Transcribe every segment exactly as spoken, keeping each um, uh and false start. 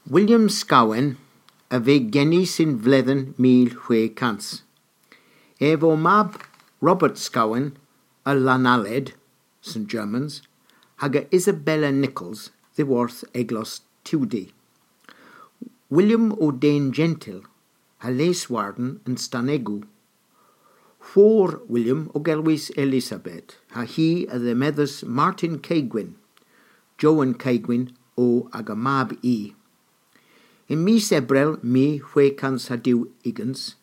William Scawen a veu genys yn vledhen mil hwegh kans. Ev o mab Robert Scawen a Lannaled, St Germans, hag a Isabella Nichols, dhyworth eglos Tiwdi. William o den jentyl, ha les warden yn Stanegow. Hwor William o gelwys Elizabeth, ha hi a dhemedhas Martin Keigwynn. Jowan Keigwynn o aga mab i. Yn mis Ebrel mil hwegh kans ha dew ugens,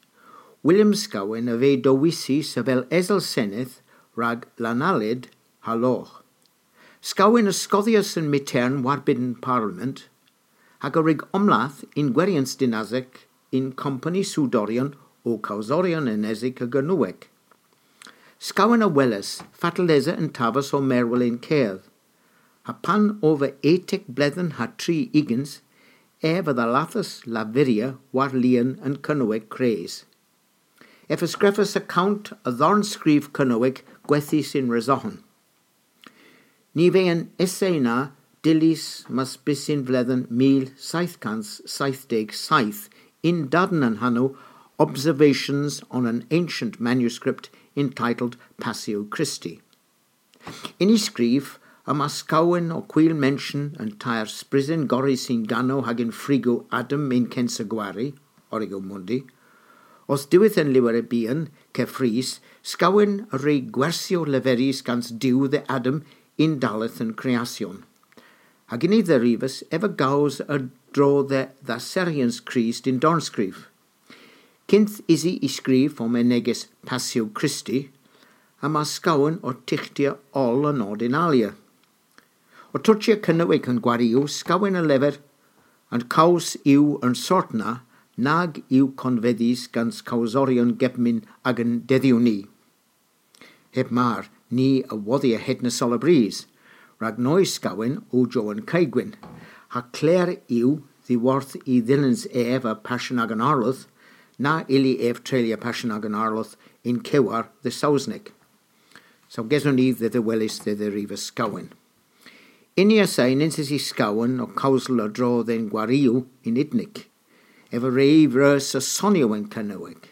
William Scawen a veu dewisys avel esel senedh rag Lannaled ha Logh. Scawen a skodhyas an myghtern war-bynn Parliament, hag a wrug omlath yn gweryans dinyasek yn kompani soodoryon ow kowsoryon enesik a Gernowek. Scawen a welas fatel esa an taves ow merwel yn kerdh, ha pan o ev etek bledhen ha tri ugens, ev a dhallathas lavurya war lien an Kernowek kres. Ev a skrifas akont a dharn skrif Kernowek gwethys yn Resoghen. Ny veu an essay na dyllys mas bys yn vledhen mil seyth kans seythdeg seyth, yn-dann an hanow Observations on an Ancient Manuscript entitled Passio Christi. Yn y skrif, yma Scawen ow hwil menshyon an teyr sprysyn gorrys yn ganow hag yn frigow Adam yn kensa gwari, Origo Mundi. Orth diwedh an lywer byghan, keffrys, Scawen a wrug gwersyow leverys gans Duw dhe Adam yn dalleth an kreasyon. Hag yn y dherivas, ev a gows a-dro dhe dha seryans Krist yn dornskrif. Kynth usi y skrif ow menegys Passio Christi, yma Scawen ow tyghtya oll a nod yn alya. Ow tochya Kernowek an gwariow, Scawen a lever, an kows yw an sort na nag yw konvedhys gans kowsoryon kepmyn agan dedhyow ni. Heb mar, ni a wodhya hedna seulabrys, rag noy Scawen o Jowan Keigwynn, ha kler yw dhyworth y dhyllans ev a Passyon agan Arlodh, na ylli ev treylya Passyon agan Arlodh yn kewar dhe Sowsnek. Saw geson ni dhe dhehweles dhe dherivas Scawen. Yn y assay nyns usi Scawen ow kewsel a-dro dhe'n gwariow yn Idnik. Ev a wre vreus a sonyow yn Kernowek,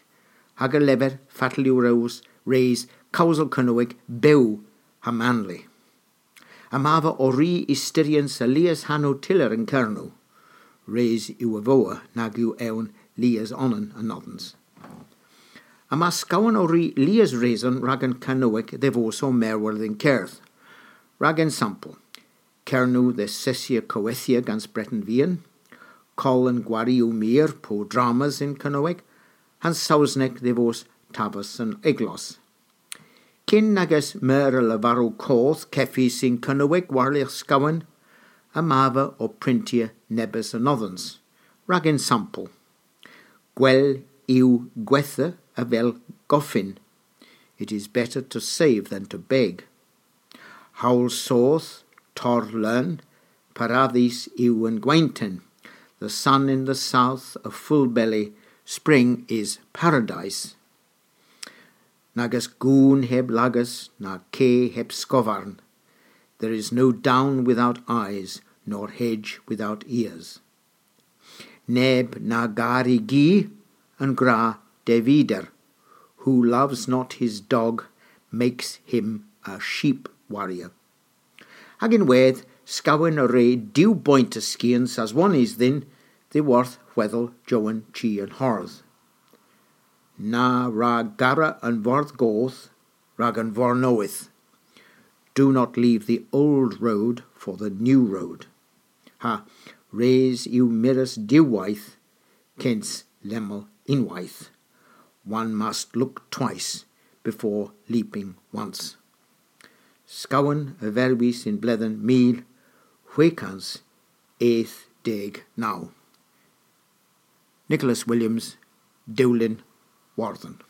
hag a lever fatel yw res, res kewsel Kernowek bew ha manli. Yma ev ow ri ystyryans a lies hanow tyller yn Kernow. Res yw a vowa nag yw ewn lies onan anodhans. Yma Scawen ow ri lies reson rag an Kernowek dhe vos ow merwel yn kerdh. Rag ensampel, Kernow dhe sesya kowethya gans Breten Vian, koll an gwariow meur po dramas yn Kernowek, ha'n Sowsnek dhe vos taves an eglos. Kyn nag eus meur a leverow koth kevys yn Kernowek war-lergh Scawen, yma ev ow pryntya nebes anodhans. Rag ensampel, gwell yw gwetha avel goffyn. It is better to save than to beg. Howl soth, torr leun, paradhis yw an gwenton. The sun in the south, a full belly, spring is paradise. Nag eus goon heb lagas, na ke heb skovarn. There is no down without eyes, nor hedge without ears. Neb na gar y gi, an gwra Devider, who loves not his dog, makes him a sheep warrior. Hag ynwedh, Scawen a wre diw boynt a skians aswonnys dhyn dhyworth hwedhel Jowan Chi an Hardh. Na wra gara an Vordh Goth rag an Vordh Nowydh. Do not leave the old road for the new road. Ha, res yw mires diwweyth kyns lemmel unnweyth. One must look twice before leaping once. Scawen a verwis yn bledhen mil hwegh kans eth deg naw. Nicholas Williams, Dewlin Wardhen.